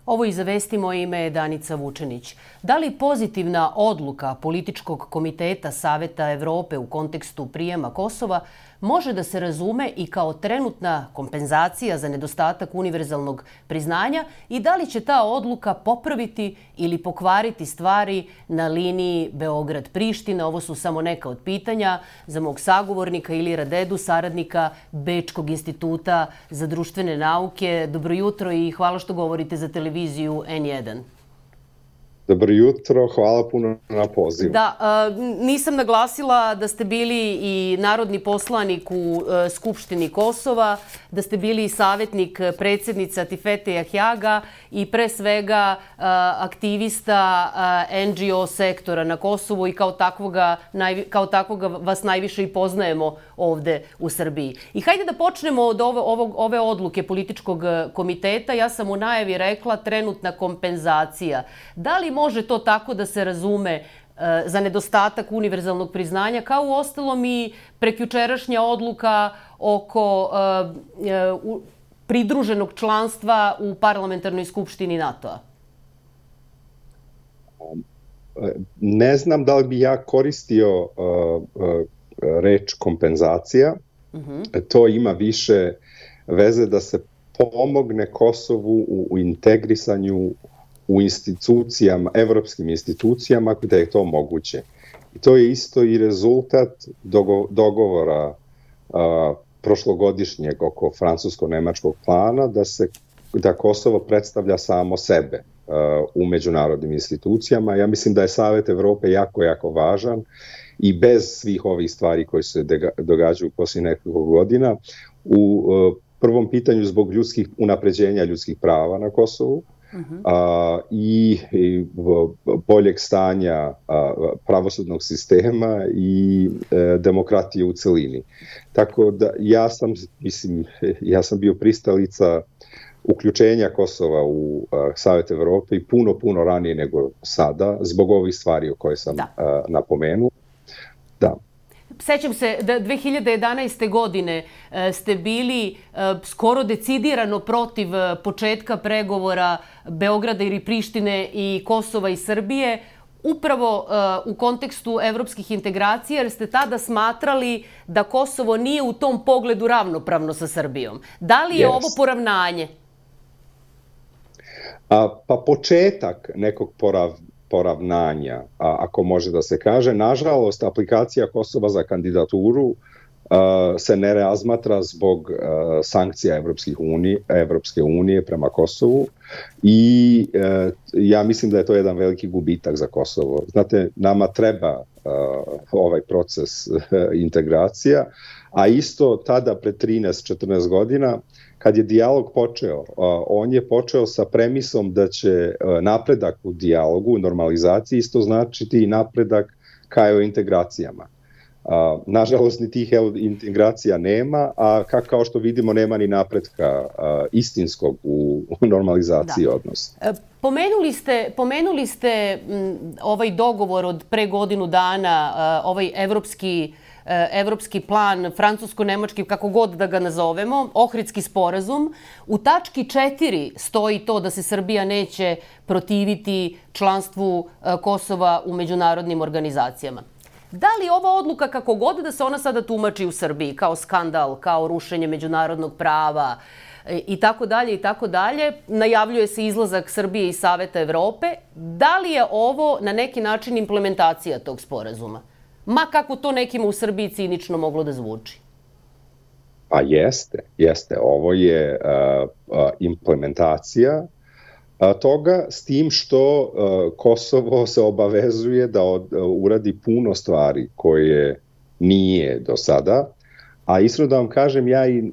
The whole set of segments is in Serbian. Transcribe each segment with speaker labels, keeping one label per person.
Speaker 1: Ovo i za vesti, moje ime je Danica Vučenić. Da li pozitivna odluka Političkog komiteta Saveta Evrope u kontekstu prijema Kosova može da se razume i kao trenutna kompenzacija za nedostatak univerzalnog priznanja i da li će ta odluka popraviti ili pokvariti stvari na liniji Beograd-Priština? Ovo su samo neka od pitanja za mog sagovornika Ilira Dedu, saradnika Bečkog instituta za društvene nauke. Dobro jutro i hvala što govorite za televiziju N1.
Speaker 2: Dobro jutro, hvala puno na pozivu.
Speaker 1: Da, nisam naglasila da ste bili i narodni poslanik u Skupštini Kosova, da ste bili i savjetnik predsjednice Atifete Jahjaga i pre svega aktivista NGO sektora na Kosovu i kao takvoga vas najviše i poznajemo ovde u Srbiji. I hajde da počnemo od ove odluke Političkog komiteta. Ja sam u najavi rekla trenutna kompenzacija. Da li može to tako da se razume za nedostatak univerzalnog priznanja, kao u ostalom i prekjučerašnja odluka oko pridruženog članstva u Parlamentarnoj skupštini NATO-a?
Speaker 2: Ne znam da li bi ja koristio reč kompenzacija. To ima više veze da se pomogne Kosovu u integrisanju u institucijama, evropskim institucijama, da je to moguće. I to je isto i rezultat dogovora prošlogodišnjeg oko francusko-nemačkog plana da Kosovo predstavlja samo sebe u međunarodnim institucijama. Ja mislim da je Savet Evrope jako, jako važan i bez svih ovih stvari koje se događaju poslije nekoliko godina. U prvom pitanju zbog unapređenja ljudskih prava na Kosovu, i boljeg stanja pravosudnog sistema i demokratije u celini. Tako da ja sam bio pristalica uključenja Kosova u Savet Evrope i puno ranije nego sada, zbog ovih stvari o koje sam napomenuo. Da.
Speaker 1: Sećam se da 2011. godine ste bili skoro decidirano protiv početka pregovora Beograda ili Prištine i Kosova i Srbije, upravo u kontekstu evropskih integracija, jer ste tada smatrali da Kosovo nije u tom pogledu ravnopravno sa Srbijom. Da li je ovo poravnanje?
Speaker 2: Pa početak nekog poravnanja, ako može da se kaže. Nažalost, aplikacija Kosova za kandidaturu se ne razmatra zbog sankcija Evropske unije prema Kosovu i ja mislim da je to jedan veliki gubitak za Kosovo. Znate, nama treba ovaj proces integracija, a isto tada pred 13-14 godina kad je dijalog počeo, on je počeo sa premisom da će napredak u dijalogu, u normalizaciji isto značiti i napredak ka integracijama. Nažalost, ni tih integracija nema, a kao što vidimo nema ni napretka istinskog u normalizaciji odnosa.
Speaker 1: Pomenuli ste ovaj dogovor od pre godinu dana, ovaj evropski plan, francusko-nemački, kako god da ga nazovemo, Ohridski sporazum. U tački 4 stoji to da se Srbija neće protiviti članstvu Kosova u međunarodnim organizacijama. Da li ova odluka, kako god da se ona sada tumači u Srbiji, kao skandal, kao rušenje međunarodnog prava i tako dalje, najavljuje se izlazak Srbije iz Saveta Evrope, da li je ovo na neki način implementacija tog sporazuma? Ma kako to nekima u Srbiji cinično moglo da zvuči.
Speaker 2: Pa jeste. Ovo je implementacija toga, s tim što Kosovo se obavezuje da uradi puno stvari koje nije do sada, a iskreno da vam kažem, ja i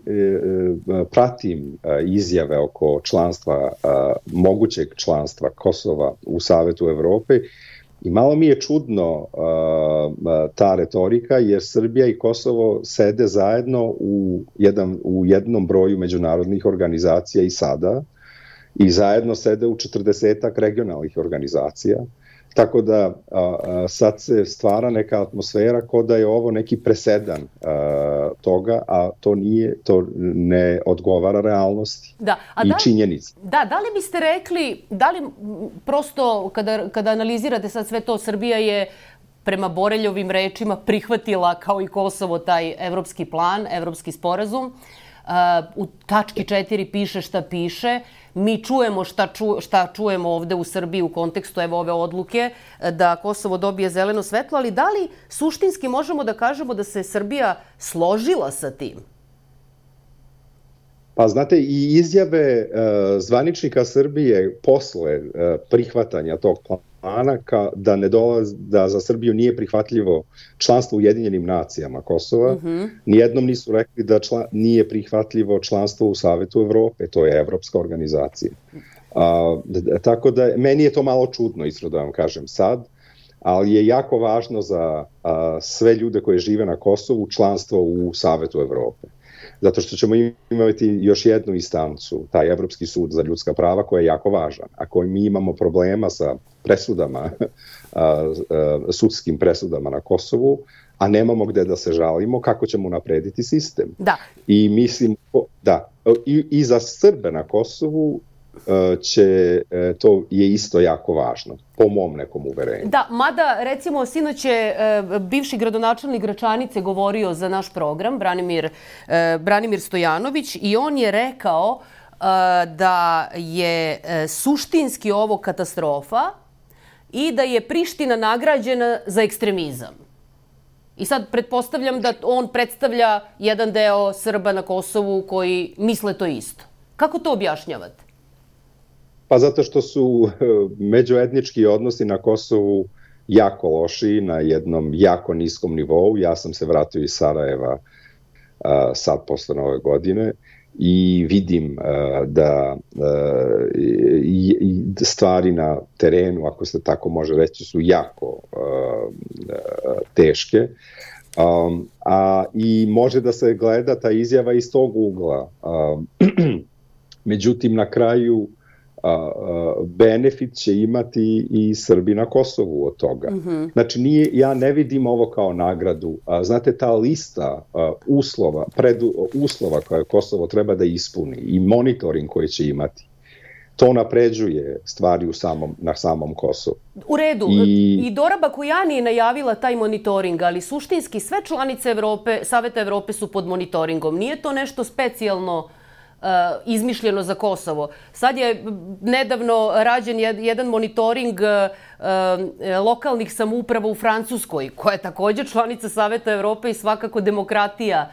Speaker 2: pratim izjave oko članstva, mogućeg članstva Kosova u Savetu Evrope. I malo mi je čudno ta retorika, jer Srbija i Kosovo sede zajedno u jednom broju međunarodnih organizacija i sada, i zajedno sede u 40-ak regionalnih organizacija. Tako da sad se stvara neka atmosfera kao da je ovo neki presedan toga, a to ne odgovara realnosti i činjenici.
Speaker 1: Da li biste rekli, da li prosto kada analizirate sad sve to, Srbija je prema Boreljovim rečima prihvatila kao i Kosovo taj evropski plan, evropski sporazum. U tački 4 piše šta piše. Mi čujemo šta čujemo ovde u Srbiji u kontekstu ove odluke da Kosovo dobije zeleno svetlo, ali da li suštinski možemo da kažemo da se Srbija složila sa tim?
Speaker 2: Pa znate, i izjave zvaničnika Srbije posle prihvatanja tog plana da za Srbiju nije prihvatljivo članstvo u Ujedinjenim nacijama Kosova, nijednom nisu rekli da nije prihvatljivo članstvo u Savetu Evrope, to je evropska organizacija. Tako da, meni je to malo čudno, iskreno da vam kažem sad, ali je jako važno za sve ljude koji žive na Kosovu članstvo u Savetu Evrope. Zato što ćemo imati još jednu instancu, taj Evropski sud za ljudska prava, koji je jako važan. Ako mi imamo problema sa presudama, sudskim presudama na Kosovu, a nemamo gde da se žalimo, kako ćemo unaprediti sistem?
Speaker 1: Da.
Speaker 2: I mislim, i za Srbe na Kosovu to je isto jako važno, po mom nekom uverenju.
Speaker 1: Da, mada, recimo, sinoć je bivši gradonačelnik Gračanice govorio za naš program, Branimir Stojanović, i on je rekao da je suštinski ovo katastrofa i da je Priština nagrađena za ekstremizam. I sad pretpostavljam da on predstavlja jedan deo Srba na Kosovu koji misle to isto. Kako to objašnjavate?
Speaker 2: Pa zato što su međuetnički odnosi na Kosovu jako loši, na jednom jako niskom nivou. Ja sam se vratio iz Sarajeva sad posle Nove godine i vidim da stvari na terenu, ako se tako može reći, su jako teške. I može da se gleda ta izjava iz tog ugla. Međutim, na kraju benefit će imati i Srbi na Kosovu od toga. Znači, ja ne vidim ovo kao nagradu. Znate, ta lista uslova koje Kosovo treba da ispuni i monitoring koji će imati, to napređuje stvari na samom Kosovu.
Speaker 1: U redu. I Dora Bakojani je najavila taj monitoring, ali suštinski sve članice Saveta Evrope su pod monitoringom. Nije to nešto specijalno izmišljeno za Kosovo. Sad je nedavno rađen jedan monitoring lokalnih samouprava u Francuskoj, koja je također članica Saveta Evrope i svakako demokratija,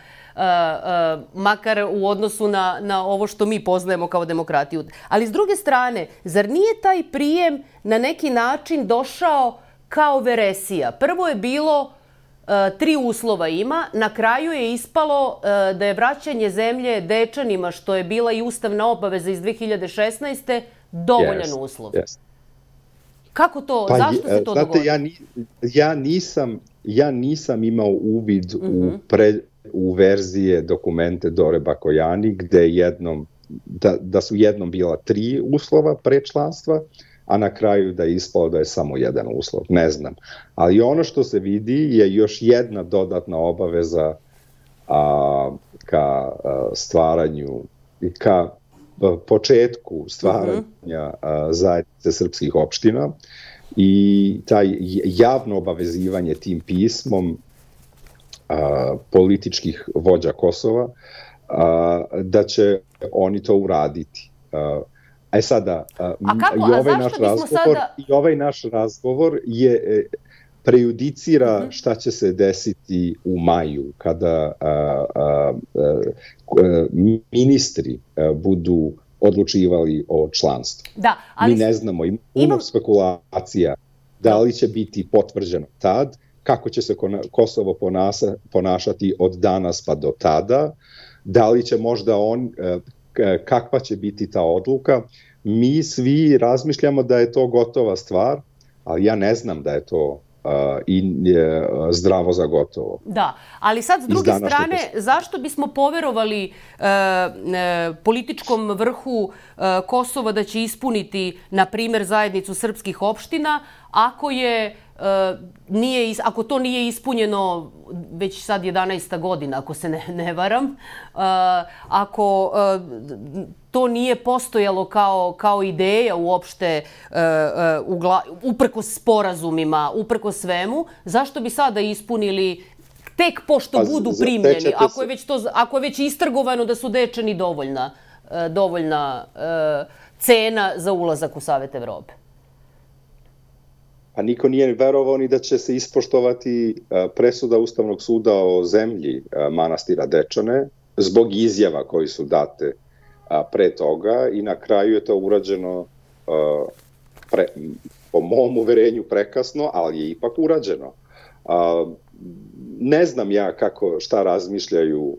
Speaker 1: makar u odnosu na ovo što mi poznajemo kao demokratiju. Ali s druge strane, zar nije taj prijem na neki način došao kao veresija? Prvo je bilo 3 uslova ima. Na kraju je ispalo da je vraćanje zemlje Dečanima, što je bila i ustavna obaveza iz 2016. dovoljan uslov. Kako to, zašto se to dogodilo?
Speaker 2: Ja nisam imao uvid u verzije dokumente Dore Bakojani, gde da su jednom bila 3 uslova pre članstva, a na kraju da je ispalo da je samo jedan uslov. Ne znam. Ali ono što se vidi je još jedna dodatna obaveza ka stvaranju i ka početku stvaranja zajednice srpskih opština i taj javno obavezivanje tim pismom političkih vođa Kosova da će oni to uraditi. Sada, i ovaj naš razgovor prejudicira šta će se desiti u maju, kada ministri budu odlučivali o članstvu. Mi ne znamo, imamo spekulacija da li će biti potvrđeno tad, kako će se Kosovo ponašati od danas pa do tada, da li će možda kakva će biti ta odluka. Mi svi razmišljamo da je to gotova stvar, ali ja ne znam da je to zdravo za gotovo.
Speaker 1: Da, ali sad s druge strane, zašto bismo poverovali političkom vrhu Kosova da će ispuniti, na primjer, zajednicu srpskih opština, ako to nije ispunjeno već sad 11. godina, ako se ne varam, ako to nije postojalo kao ideja uopšte uprkos sporazumima, uprkos svemu, zašto bi sada ispunili tek pošto budu primljeni, ako je već istrgovano da su Dečani dovoljna cena za ulazak u Savet Evrope?
Speaker 2: A niko nije verovao ni da će se ispoštovati presuda Ustavnog suda o zemlji manastira Dečane zbog izjava koji su date pre toga i na kraju je to urađeno po mom uverenju prekasno, ali je ipak urađeno. Ne znam ja šta razmišljaju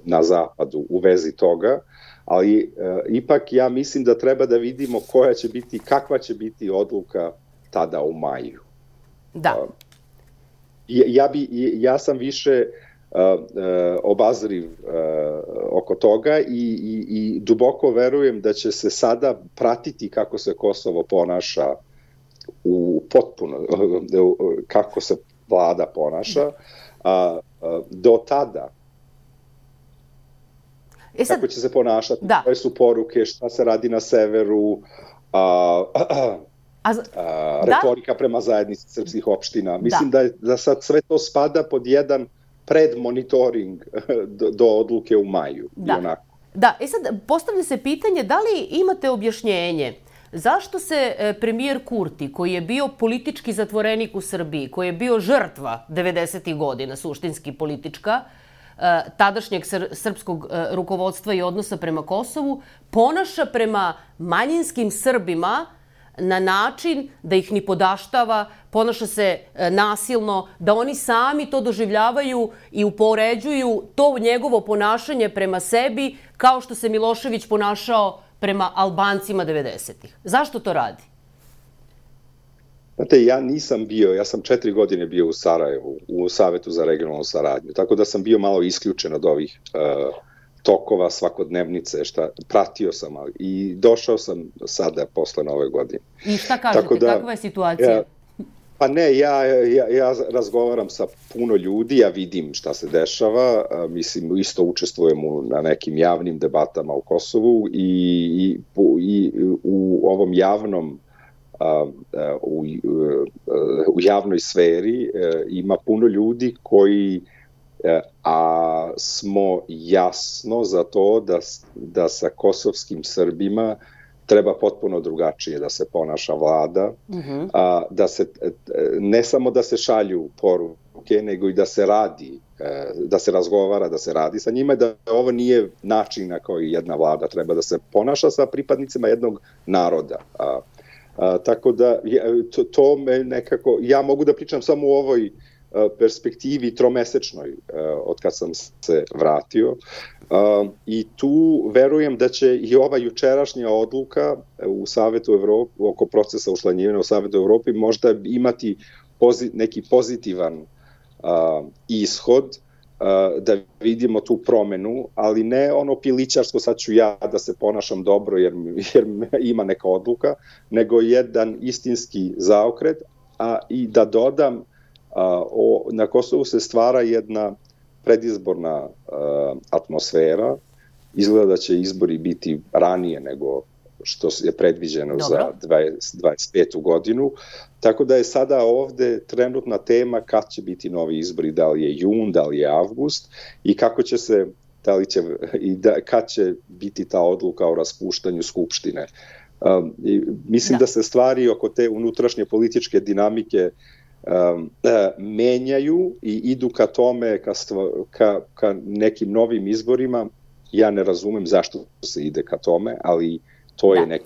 Speaker 2: na zapadu u vezi toga, ali ipak ja mislim da treba da vidimo kakva će biti odluka tada u maju.
Speaker 1: Da.
Speaker 2: Ja sam više obazriv oko toga i duboko verujem da će se sada pratiti kako se Kosovo ponaša kako se vlada ponaša. Do tada kako će se ponašati, koje su poruke, šta se radi na severu, retorika prema zajednici srpskih opština. Mislim da sad sve to spada pod jedan predmonitoring do odluke u maju.
Speaker 1: Da, sad postavlja se pitanje da li imate objašnjenje zašto se premijer Kurti, koji je bio politički zatvorenik u Srbiji, koji je bio žrtva 90. godina, suštinski politička, tadašnjeg srpskog rukovodstva i odnosa prema Kosovu, ponaša prema manjinskim Srbima na način da ih ni podaštava, ponaša se nasilno, da oni sami to doživljavaju i upoređuju to njegovo ponašanje prema sebi kao što se Milošević ponašao prema Albancima 90-ih. Zašto to radi?
Speaker 2: Znate, ja sam 4 godine bio u Sarajevu, u Savetu za regionalnu saradnju, tako da sam bio malo isključen od ovih tokova svakodnevnice, pratio sam i došao sam sada posle Nove godine.
Speaker 1: I šta kažete, kakva je situacija?
Speaker 2: Pa ne, ja razgovaram sa puno ljudi, ja vidim šta se dešava, mislim, isto učestvujem na nekim javnim debatama u Kosovu i u ovom javnom u javnoj sferi ima puno ljudi koji smo jasno za to da sa kosovskim Srbima treba potpuno drugačije da se ponaša vlada, ne samo da se šalju poruke, nego i da se radi, da se razgovara, da se radi sa njima, da ovo nije način na koji jedna vlada treba da se ponaša sa pripadnicima jednog naroda. Tako da to me nekako, ja mogu da pričam samo u ovoj perspektivi tromesečnoj od kad sam se vratio i tu verujem da će i ova jučerašnja odluka u Savetu Evrope oko procesa učlanjivanja u Savetu Evrope možda imati neki pozitivan ishod, da vidimo tu promenu, ali ne ono pilićarsko sad ću ja da se ponašam dobro jer ima neka odluka, nego jedan istinski zaokret, i da dodam, na Kosovu se stvara jedna predizborna atmosfera, izgleda da će izbori biti ranije nego što je predviđeno za 2025. godinu, tako da je sada ovde trenutna tema kad će biti novi izbori, da li je jun, da li je avgust i kako će se, kad će biti ta odluka o raspuštanju Skupštine. Mislim da se stvari oko te unutrašnje političke dinamike menjaju i idu ka tome, ka nekim novim izborima. Ja ne razumem zašto se ide ka tome, ali to je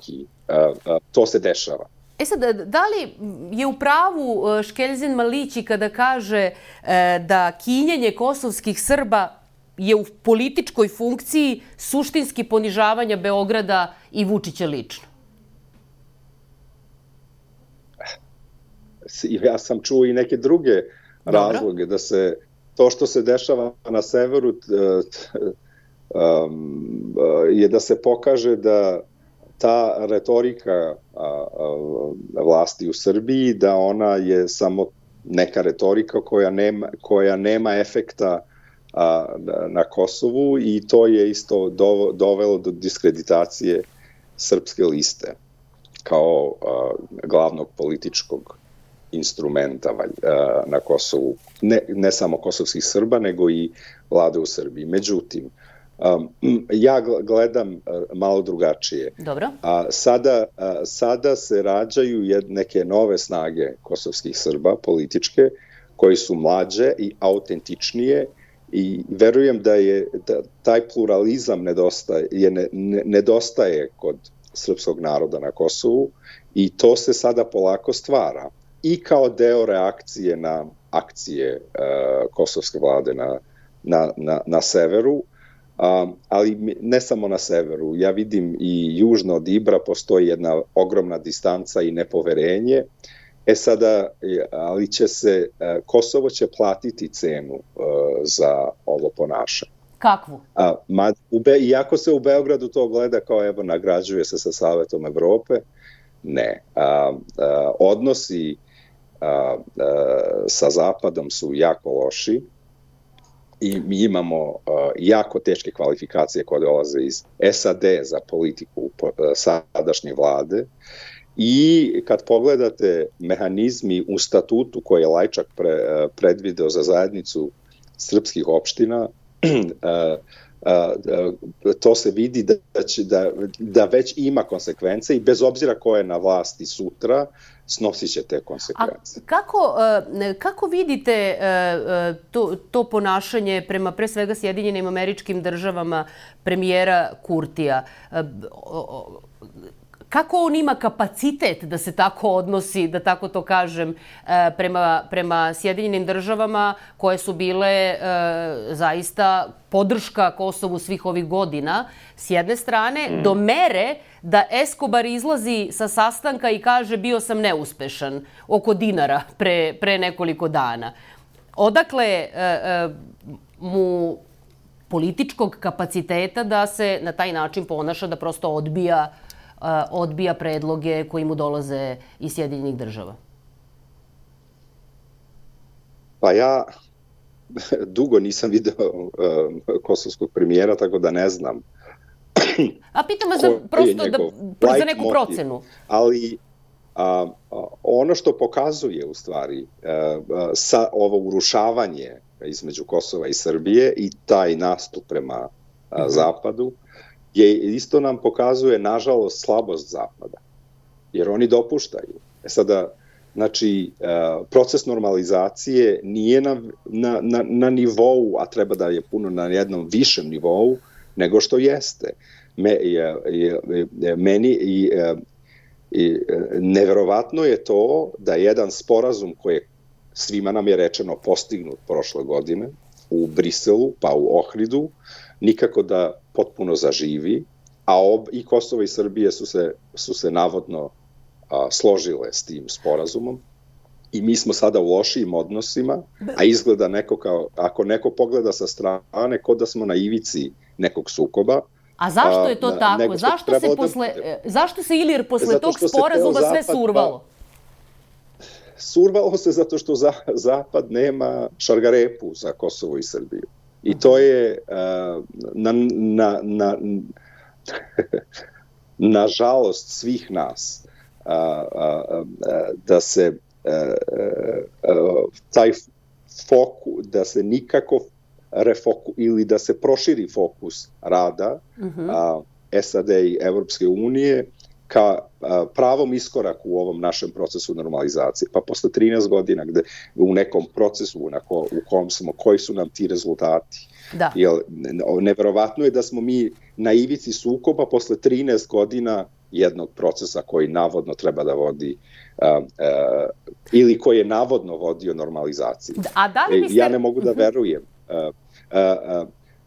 Speaker 2: to se dešava.
Speaker 1: Sad, da li je u pravu Škeljzin Malići kada kaže da kinjenje kosovskih Srba je u političkoj funkciji suštinski ponižavanja Beograda i Vučića lično?
Speaker 2: Ja sam čuo i neke druge razloge, da se to što se dešava na severu je da se pokaže da ta retorika vlasti u Srbiji, da ona je samo neka retorika koja nema efekta na Kosovu, i to je isto dovelo do diskreditacije Srpske liste kao glavnog političkog instrumenta na Kosovu. Ne samo kosovskih Srba, nego i vlade u Srbiji. Međutim, ja gledam malo drugačije.
Speaker 1: Dobro.
Speaker 2: Sada se rađaju neke nove snage kosovskih Srba, političke, koji su mlađe i autentičnije, i verujem da taj pluralizam nedostaje kod srpskog naroda na Kosovu, i to se sada polako stvara i kao deo reakcije na akcije kosovske vlade na severu, ali ne samo na severu. Ja vidim i južno od Ibra postoji jedna ogromna distanca i nepoverenje. Sada, ali Kosovo će platiti cenu za ovo ponašanje.
Speaker 1: Kakvu?
Speaker 2: Iako se u Beogradu to gleda kao evo nagrađuje se sa Savetom Evrope, ne. Odnosi sa Zapadom su jako loši i mi imamo jako teške kvalifikacije koje dolaze iz SAD za politiku sadašnje vlade. I kad pogledate mehanizmi u statutu koje je Lajčak predvideo za zajednicu srpskih opština, to se vidi da već ima konsekvence, i bez obzira ko je na vlasti sutra, snosit će te konsekvence.
Speaker 1: A kako vidite to ponašanje prema pre svega Sjedinjenim Američkim Državama premijera Kurtija? Kako on ima kapacitet da se tako odnosi, da tako to kažem, prema Sjedinjenim Državama koje su bile zaista podrška Kosovu svih ovih godina, s jedne strane, do mere da Escobar izlazi sa sastanka i kaže bio sam neuspešan oko dinara pre nekoliko dana. Odakle mu političkog kapaciteta da se na taj način ponaša, da prosto odbija predloge koji mu dolaze iz Sjedinjenih Država?
Speaker 2: Pa ja dugo nisam video kosovskog premijera, tako da ne znam.
Speaker 1: A pitam vas prosto za neku procenu.
Speaker 2: Ali ono što pokazuje u stvari ovo urušavanje između Kosova i Srbije i taj nastup prema Zapadu, isto nam pokazuje, nažalost, slabost Zapada. Jer oni dopuštaju. Sada, znači, proces normalizacije nije na nivou, a treba da je puno na jednom višem nivou, nego što jeste. Neverovatno je to da jedan sporazum koji je, svima nam je rečeno, postignut prošle godine u Briselu, pa u Ohridu, nikako da potpuno zaživi, a i Kosovo i Srbije su se navodno složile s tim sporazumom, i mi smo sada u lošijim odnosima, a izgleda ako neko pogleda sa strane, kao da smo na ivici nekog sukoba.
Speaker 1: A zašto je to tako? Zašto se Ilir posle tog sporazuma sve survalo?
Speaker 2: Survalo se zato što Zapad nema šargarepu za Kosovo i Srbiju. I to je na žalost svih nas da se taj fokus, da se nikako ili da se proširi fokus rada SAD i Evropske unije ka pravom iskoraku u ovom našem procesu normalizacije. Pa posle 13 godina u nekom procesu u kom smo, koji su nam ti rezultati?
Speaker 1: Da.
Speaker 2: Neverovatno je da smo mi na ivici sukoba posle 13 godina jednog procesa koji navodno treba da vodi ili koji je navodno vodio normalizaciji. Ja ne mogu da verujem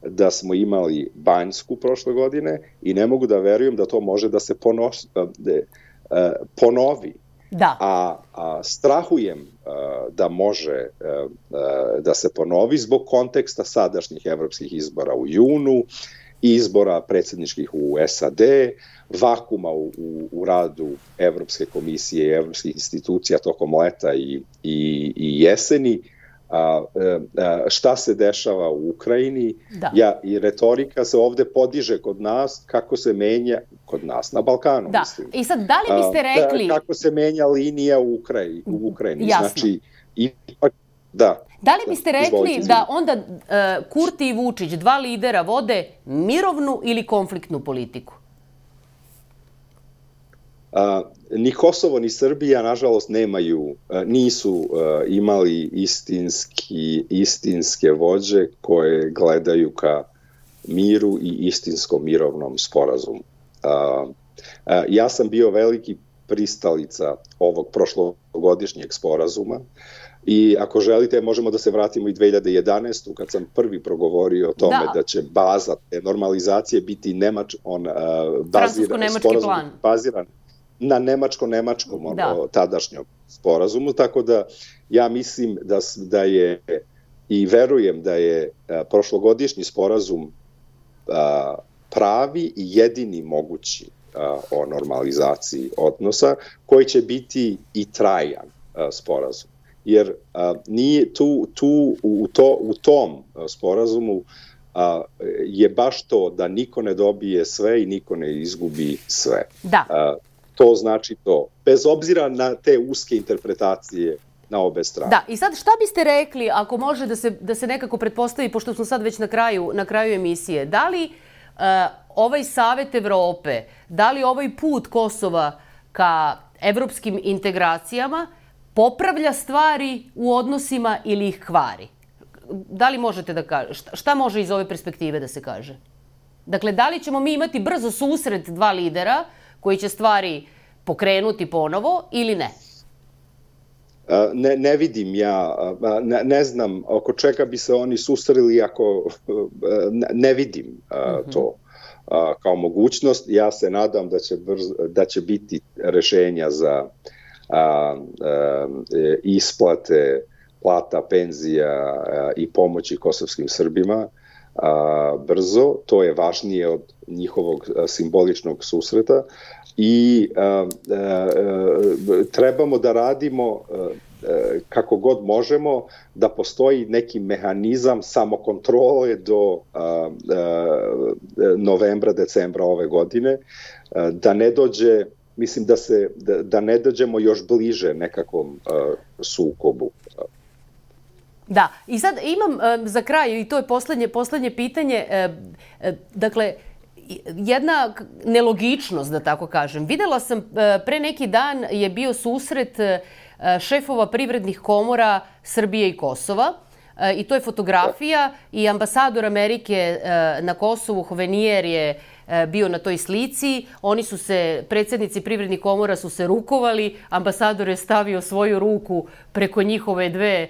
Speaker 2: da smo imali Banjsku prošle godine i ne mogu da verujem da to može da se ponovi.
Speaker 1: Da.
Speaker 2: A strahujem da može da se ponovi zbog konteksta sadašnjih evropskih izbora u junu izbora predsjedničkih u SAD, vakuma u radu Evropske komisije i evropskih institucija tokom leta i jeseni, šta se dešava u Ukrajini, i retorika se ovde podiže kod nas, kako se menja, kod nas na Balkanu, mislim.
Speaker 1: I sad, da li biste rekli...
Speaker 2: Kako se menja linija u Ukrajini.
Speaker 1: Jasno.
Speaker 2: Znači, ipak, da.
Speaker 1: Da li biste rekli da onda Kurti i Vučić, dva lidera, vode mirovnu ili konfliktnu politiku?
Speaker 2: Ni Kosovo ni Srbija, nažalost, nisu imali istinske vođe koje gledaju ka miru i istinskom mirovnom sporazumu. Ja sam bio veliki pristalica ovog prošlogodišnjeg sporazuma i ako želite možemo da se vratimo i 2011. kad sam prvi progovorio o tome da će baza te normalizacije biti
Speaker 1: francusko-nemački plan.
Speaker 2: Baziran na nemačkom tadašnjom sporazumu, tako da ja mislim da je i verujem da je prošlogodišnji sporazum pravi i jedini mogući o normalizaciji odnosa, koji će biti i trajan sporazum. Jer nije u tom sporazumu je baš to da niko ne dobije sve i niko ne izgubi sve. To znači to, bez obzira na te uske interpretacije na obe strane.
Speaker 1: Da, i sad šta biste rekli, ako može da se nekako pretpostavi, pošto smo sad već na kraju emisije, da li ovaj Savet Evrope, da li ovaj put Kosova ka evropskim integracijama popravlja stvari u odnosima ili ih kvari? Da li možete da kažete, šta može iz ove perspektive da se kaže? Dakle, da li ćemo mi imati brzo susret dva lidera koji će stvari pokrenuti ponovo ili ne?
Speaker 2: Ne vidim ja, ne znam oko čega bi se oni susreli ako ne vidim to kao mogućnost. Ja se nadam da će biti rešenja za isplate plata, penzija i pomoći kosovskim Srbima brzo. To je važnije od njihovog simboličnog susreta i trebamo da radimo kako god možemo, da postoji neki mehanizam samokontrole do novembra, decembra ove godine, da ne dođe, mislim da ne dođemo još bliže nekakvom sukobu.
Speaker 1: Da, i sad imam za kraj, i to je poslednje pitanje, dakle, jedna nelogičnost, da tako kažem. Videla sam, pre neki dan je bio susret šefova privrednih komora Srbije i Kosova, i to je fotografija, i ambasador Amerike na Kosovu, Hovenier, je bio na toj slici. Predsjednici privrednih komora su se rukovali, ambasador je stavio svoju ruku preko njihove dve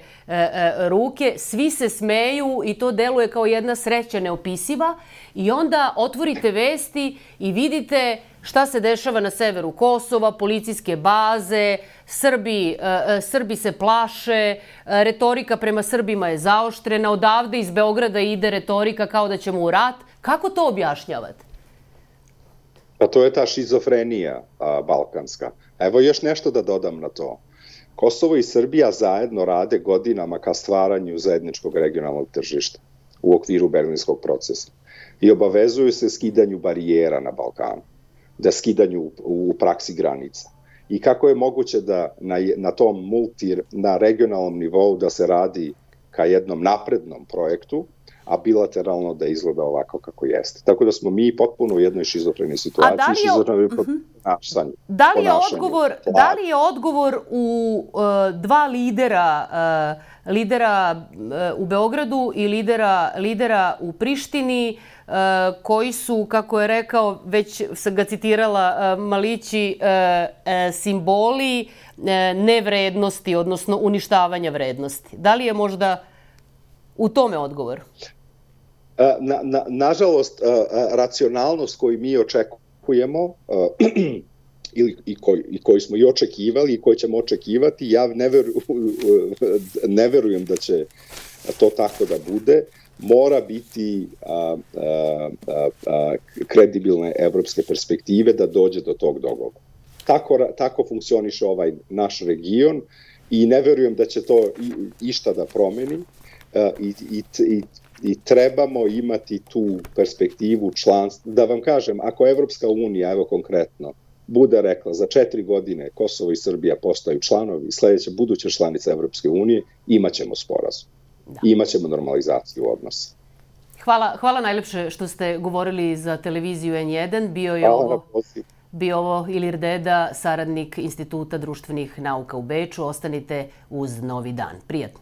Speaker 1: ruke, svi se smeju i to deluje kao jedna sreća neopisiva, i onda otvorite vesti i vidite šta se dešava na severu Kosova, policijske baze, Srbi se plaše, retorika prema Srbima je zaoštrena, odavde iz Beograda ide retorika kao da ćemo u rat. Kako to objašnjavate?
Speaker 2: Pa to je ta šizofrenija balkanska. Evo još nešto da dodam na to. Kosovo i Srbija zajedno rade godinama ka stvaranju zajedničkog regionalnog tržišta u okviru Berlinskog procesa i obavezuju se skidanju barijera na Balkanu, da skidanju u praksi granica. I kako je moguće da na regionalnom nivou da se radi ka jednom naprednom projektu, a bilateralno da izgleda ovako kako jeste. Tako da smo mi potpuno u jednoj šizofrenoj situaciji.
Speaker 1: Da li je odgovor u dva lidera u Beogradu i lidera u Prištini, koji su, kako je rekao, već sam ga citirala, Malići, simboli nevrednosti, odnosno uništavanja vrednosti? Da li je možda u tome odgovor?
Speaker 2: Nažalost, racionalnost koju mi očekujemo i koju smo i očekivali i koju ćemo očekivati, ja ne verujem da će to tako da bude. mora biti kredibilne evropske perspektive da dođe do tog dogovora. Tako funkcioniše ovaj naš region i ne verujem da će to išta da promeni i trebamo imati tu perspektivu članstva. Da vam kažem, ako Evropska unija, evo konkretno, bude rekla za 4 godine Kosovo i Srbija postaju članovi, sledeća buduća članica Evropske unije, imaćemo sporazum. Imaćemo normalizaciju odnosa.
Speaker 1: Hvala najlepše što ste govorili za televiziju N1. Bio ovo Ilir Deda, saradnik Instituta društvenih nauka u Beču. Ostanite uz Novi dan. Prijatno.